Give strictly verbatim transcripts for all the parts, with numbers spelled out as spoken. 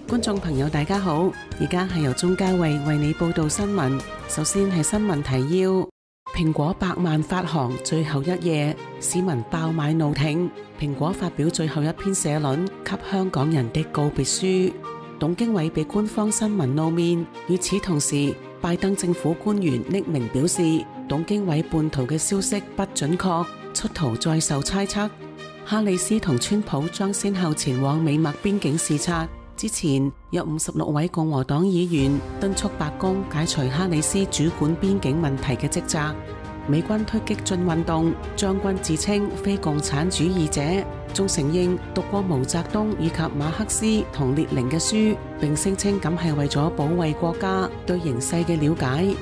觀眾朋友大家好，而家係由鍾嘉慧為你報道新聞。首先係新聞提要：蘋果百萬發行最後一夜，市民爆買怒挺。蘋果發表最後一篇社論，給香港人的告別書。董經緯被官方新聞露面。與此同時，拜登政府官員匿名表示，董經緯叛逃嘅消息不準確，出逃再受猜測。哈里斯同川普將先後前往美墨邊境視察。之前有五十六位共和黨議員敦促白宮解除哈里斯主管邊境問題嘅職責。美軍推激進運動，將軍自稱非共產主義者，仲承認讀過毛澤東以及馬克思同列寧嘅書，並聲稱咁係為咗保衛國家對形勢嘅了解。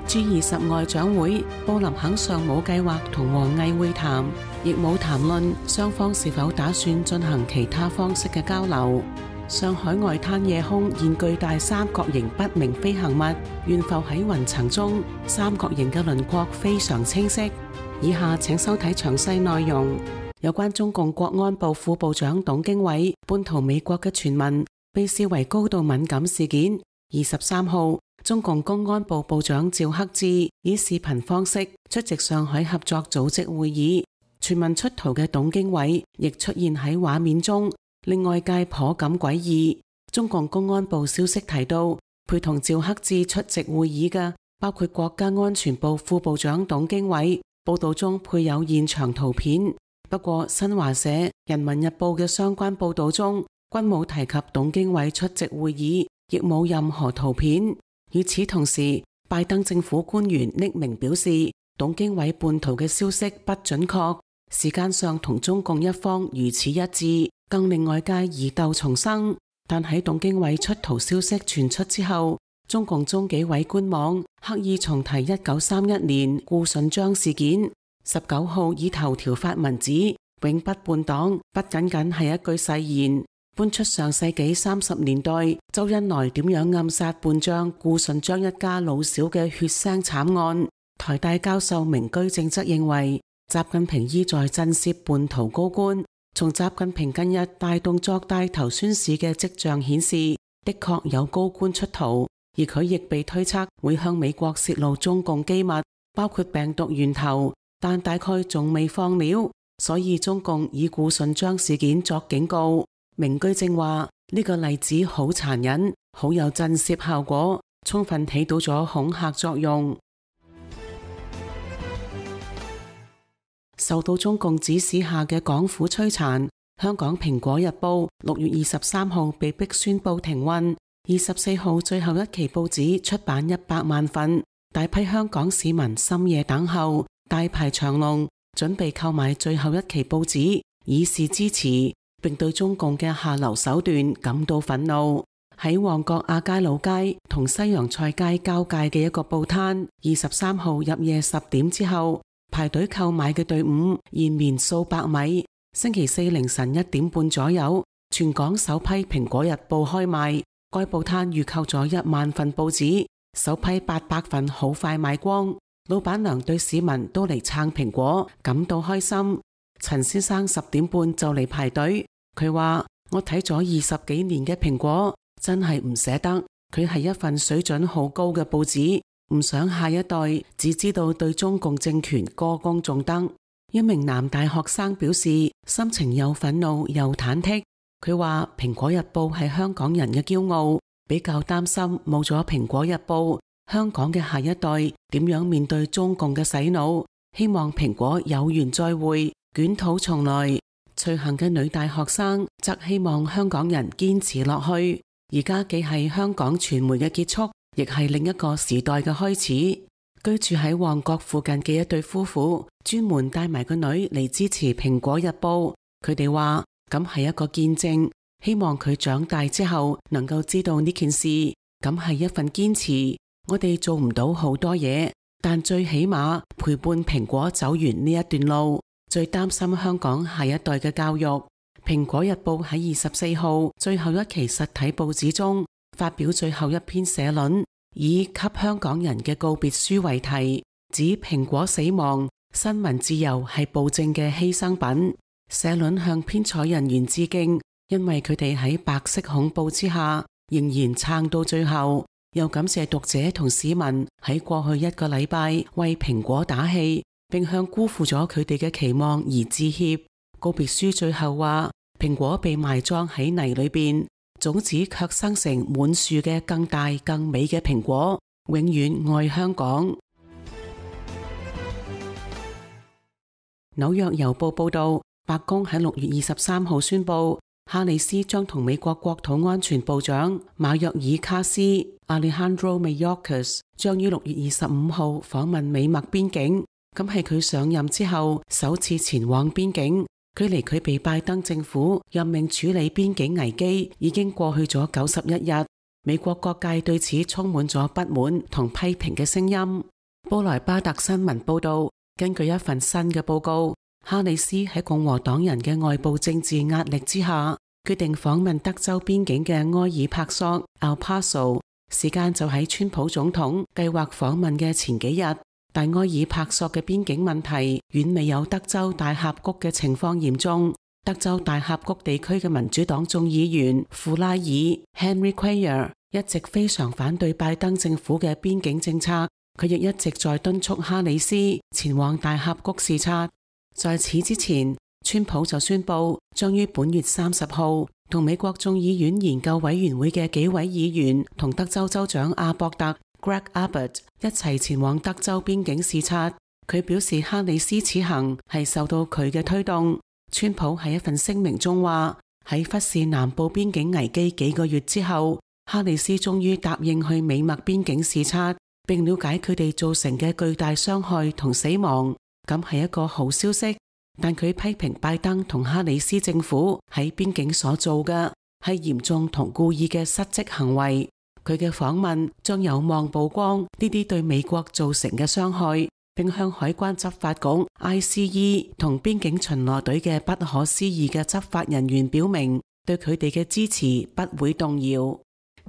G 二十外長會，布林肯尚冇計劃同王毅會談，亦冇談論雙方是否打算進行其他方式嘅交流。上海外灘夜空現巨大三角形不明飛行物懸浮喺雲層中，三角形嘅輪廓非常清晰。以下請收睇詳細內容。有關中共國安部副部長董經緯叛逃美國嘅傳聞，被視為高度敏感事件。二十三號，中共公安部部長趙克志以視頻方式出席上海合作組織會議，傳聞出逃嘅董經緯亦出現喺畫面中，令外界頗感詭異。中共公安部消息提到，陪同趙克志出席會議嘅包括國家安全部副部長董經緯。報道中配有現場圖片，不過新華社、人民日報嘅相關報道中均冇提及董經緯出席會議，亦冇任何圖片。與此同時，拜登政府官員匿名表示，董經緯叛逃嘅消息不準確，時間上同中共一方如此一致，更令外界疑竇叢生。但喺董經緯出逃消息傳出之後，中共中紀委官網刻意重提一九三一年顧順章事件，十九號以頭條發文指永不叛黨不僅僅係一句誓言，搬出上世紀三十年代周恩來點樣暗殺叛將顧順章一家老小嘅血腥慘案。台大教授明居正則認為，習近平意在震懾叛逃高官。從習近平近日大動作帶頭宣示嘅跡象顯示，的確有高官出逃，而佢亦被推測會向美國泄露中共機密，包括病毒源頭，但大概仲未放料，所以中共以顧順章事件作警告。明居正話呢個例子好殘忍，好有震懾效果，充分起到咗恐嚇作用。受到中共指使下嘅港府摧殘，香港蘋果日報六月二十三號被迫宣布停運。二十四號最後一期報紙出版一百萬份，大批香港市民深夜等候，大排長龍，準備購買最後一期報紙，以示支持，並對中共嘅下流手段感到憤怒。喺旺角亞皆老街同西洋菜街交界嘅一個報攤，二十三號入夜十點之後，排隊購買嘅隊伍延綿數百米。星期四凌晨一點半左右，全港首批蘋果日報開賣，該報攤預購咗一萬份報紙，首批八百份好快賣光。老闆娘對市民都嚟撐蘋果感到開心。陳先生十點半就嚟排隊，佢話：我睇咗二十幾年嘅蘋果，真係唔捨得，佢係一份水準好高嘅報紙。唔想下一代只知道對中共政權歌功頌德。一名男大學生表示，心情又憤怒又忐忑。佢話蘋果日報係香港人嘅驕傲，比較擔心冇咗蘋果日報，香港嘅下一代點樣面對中共嘅洗腦。希望蘋果有緣再會，捲土重來。隨行嘅女大學生則希望香港人堅持落去。而家既係香港傳媒嘅結束，亦係另一個時代嘅開始。居住喺旺角附近嘅一對夫婦，專門帶埋個女嚟支持蘋果日報。佢哋話咁係一個見證，希望佢長大之後能夠知道呢件事。咁係一份堅持。我哋做唔到好多嘢，但最起碼陪伴蘋果走完呢一段路。最擔心香港下一代嘅教育。蘋果日報喺二十四號最後一期實體報紙中發表最後一篇社論，以給香港人嘅告別書為題，指蘋果死亡，新聞自由係暴政嘅犧牲品。社論向編採人員致敬，因為佢哋喺白色恐怖之下仍然撐到最後，又感謝讀者同市民喺過去一個禮拜為蘋果打氣，並向辜負咗佢哋嘅期望而致歉。告別書最後話，蘋果被埋葬喺泥裏邊，種子卻生成滿樹嘅更大更美嘅蘋果，永遠愛香港。紐約郵報報道，白宮喺六月二十三號宣布，哈里斯將同美國國土安全部長馬約爾卡斯 Alejandro Mayorkas 將於六月二十五號訪問美墨邊境，咁係佢上任之後首次前往邊境。距離佢被拜登政府任命處理邊境危機已經過去咗九十一日，美國各界對此充滿咗不滿同批評嘅聲音。布萊巴特新聞報道，根據一份新嘅報告，哈里斯喺共和黨人嘅外部政治壓力之下，決定訪問德州邊境嘅埃爾帕索 El Paso， 時間就喺川普總統計劃訪問嘅前幾日。但埃爾帕索嘅邊境問題遠未有德州大峽谷嘅情況嚴重。德州大峽谷地區嘅民主黨眾議員富拉爾 Henry Cuellar 一直非常反對拜登政府嘅邊境政策，佢亦一直在敦促哈里斯前往大峽谷視察。在此之前，川普就宣布將於本月三十號同美國眾議院研究委員會嘅幾位議員同德州州長阿博特 Greg Abbott 一齊前往德州邊境視察。佢表示哈里斯此行係受到佢嘅推動。川普喺一份聲明中話，喺忽視南部邊境危機幾個月之後，哈里斯終於答應去美墨邊境視察，並了解佢哋造成嘅巨大傷害同死亡，咁係一個好消息。但佢批評拜登同哈里斯政府喺邊境所做嘅係嚴重同故意嘅失職行為。佢嘅訪問將有望曝光呢啲對美國造成嘅傷害，並向海關執法局 I C E 同邊境巡邏隊嘅不可思議嘅執法人員表明對佢哋嘅支持不會動搖。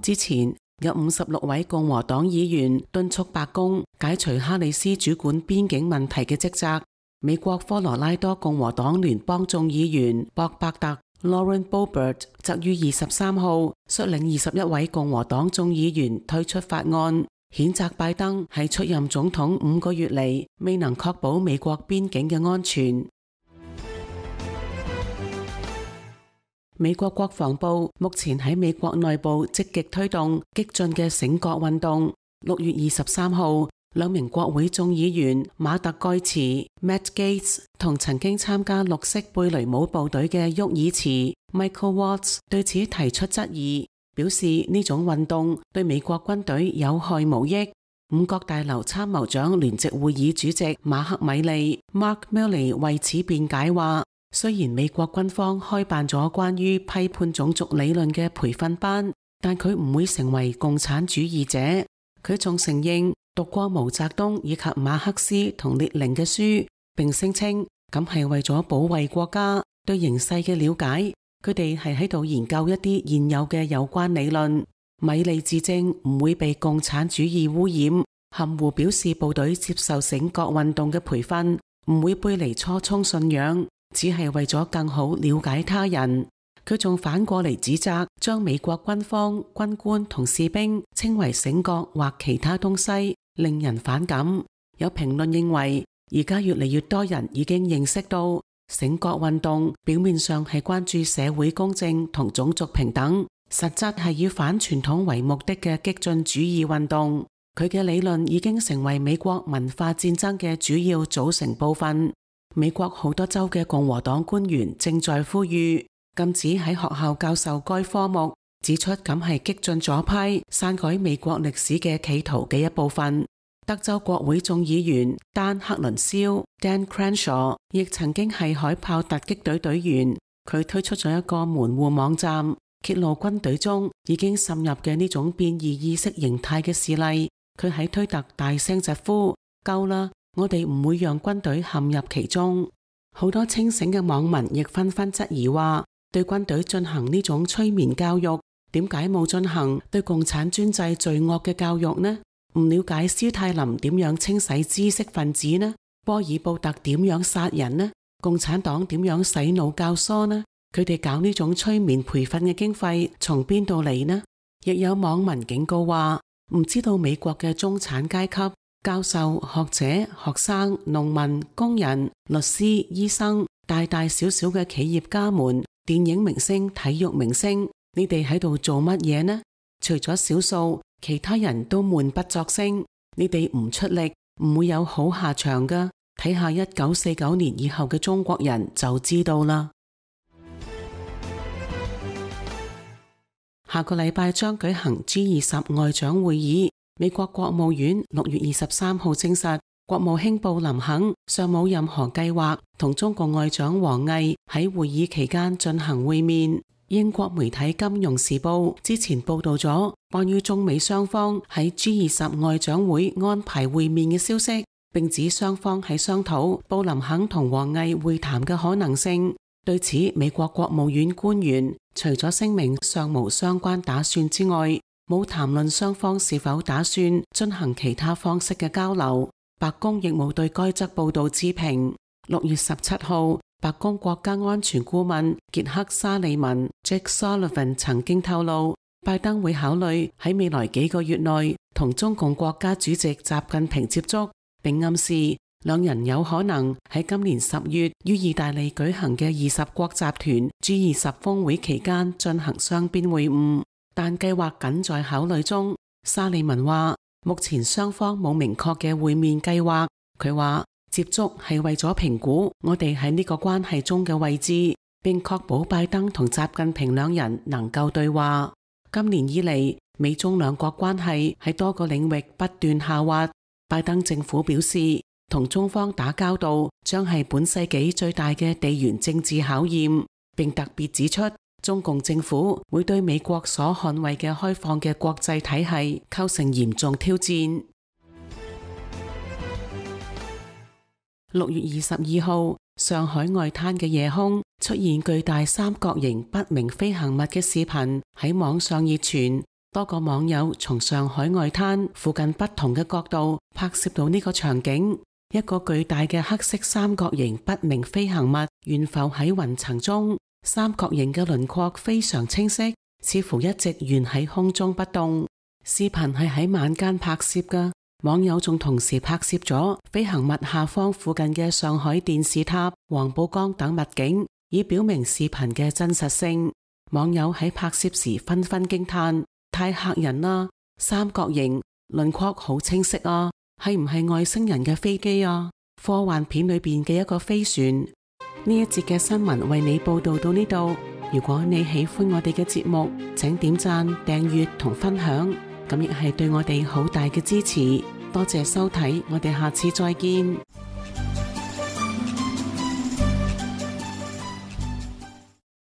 之前有五十六位共和黨議員敦促白宮解除哈里斯主管邊境問題嘅職責。美國科羅拉多共和黨聯邦眾議員博伯特 Lauren Boebert 則於二十三號率領二十一位共和黨眾議員推出法案，譴責拜登喺出任總統五個月嚟未能確保美國邊境嘅安全。美國國防部目前喺美國內部積極推動激進嘅醒覺運動。六月二十三號，兩名國會眾議員馬特蓋茨 Matt Gaetz 同曾經參加綠色貝雷姆部隊嘅沃爾茨 Michael Watts 對此提出質疑，表示呢種運動對美國軍隊有害無益。五角大樓參謀長聯席會議主席馬克米利 Mark Milley 為此辯解話，雖然美國軍方開辦咗關於批判種族理論嘅培訓班，但佢唔會成為共產主義者。佢仲承認讀過毛澤東以及馬克思同列寧嘅書，並聲稱咁係為咗保衛國家對形勢嘅了解。佢哋係喺度研究一啲現有嘅有關理論。米利自證唔會被共產主義污染，含糊表示部隊接受醒覺運動嘅培訓，唔會背離初衷信仰，只係為咗更好了解他人。佢仲反過嚟指責將美國軍方軍官同士兵稱為醒覺或其他東西，令人反感。有評論認為，而家越嚟越多人已經認識到醒覺運動表面上係關注社會公正同種族平等，實質係以反傳統為目的嘅激進主義運動。佢嘅理論已經成為美國文化戰爭嘅主要組成部分。美國好多州嘅共和黨官員正在呼籲禁止喺學校教授該科目，指出咁係激進左派篡改美國歷史嘅企圖嘅一部分。德州國會眾議員丹克倫肖 Dan Crenshaw 亦曾經係海豹突擊隊隊員，佢推出咗一個門戶網站，揭露軍隊中已經滲入嘅呢種變異意識形態嘅事例。佢喺推特大聲疾呼：夠啦，我哋唔會讓軍隊陷入其中。好多清醒嘅網民亦紛紛質疑話，對軍隊進行呢種催眠教育，點解冇進行對共產專制罪惡嘅教育呢？唔了解斯泰林點樣清洗知識分子呢？波爾布特點樣殺人呢？共產黨點樣洗腦教唆呢？佢哋搞呢種催眠培訓嘅經費從邊度嚟呢？亦有網民警告話，唔知道美國嘅中產階級、教授、學者、學生、農民、工人、律師、醫生、大大小小嘅企業家們、電影明星、體育明星，你哋喺度做乜嘢呢？除咗少數，其他人都悶不作聲。你哋唔出力，唔會有好下場㗎。睇下一九四九年以後嘅中國人就知道啦。下個禮拜將舉行 G 二十外長會議。美國國務院六月二十三號證實，國務卿布林肯尚冇任何計劃同中國外長王毅喺會議期間進行會面。英國媒體《金融時報》之前報道咗關於中美雙方喺 G 二十外長會安排會面嘅消息，並指雙方喺商討布林肯同王毅會談嘅可能性。對此，美國國務院官員除咗聲明尚無相關打算之外，冇談論雙方是否打算進行其他方式嘅交流。白宮亦冇對該則報道置評。六月十七號，白宮國家安全顧問傑克沙利文 Jake Sullivan 曾經透露，拜登會考慮喺未來幾個月內同中共國家主席習近平接觸，並暗示兩人有可能喺今年十月於意大利舉行嘅二十國集團 G 二十峰會期間進行雙邊會晤，但計劃僅在考慮中。沙利文話，目前雙方冇明確嘅會面計劃。佢話，接觸係為咗評估我哋喺呢個關係中嘅位置，並確保拜登同習近平兩人能夠對話。今年以嚟，美中兩國關係喺多個領域不斷下滑。拜登政府表示，同中方打交道將係本世紀最大嘅地緣政治考驗，並特別指出，中共政府會對美國所捍衛嘅開放嘅國際體系構成嚴重挑戰。六月二十二號，上海外灘嘅夜空出現巨大三角形不明飛行物嘅視頻喺網上熱傳，多個網友從上海外灘附近不同嘅角度拍攝到呢個場景。一個巨大嘅黑色三角形不明飛行物懸浮喺雲層中，三角形嘅輪廓非常清晰，似乎一直懸喺空中不動。視頻係喺晚間拍攝㗎。網友仲同時拍攝咗飛行物下方附近嘅上海電視塔、黃浦江等物景，以表明視頻嘅真實性。網友喺拍攝時紛紛驚嘆：太嚇人啦！三角形輪廓好清晰啊，係唔係外星人嘅飛機啊？科幻片裏邊嘅一個飛船。呢一節嘅新聞為你報道到呢度。如果你喜歡我哋嘅節目，請點讚、訂閱同分享。咁亦係對我哋好大嘅支持，多謝收睇，我哋下次再見。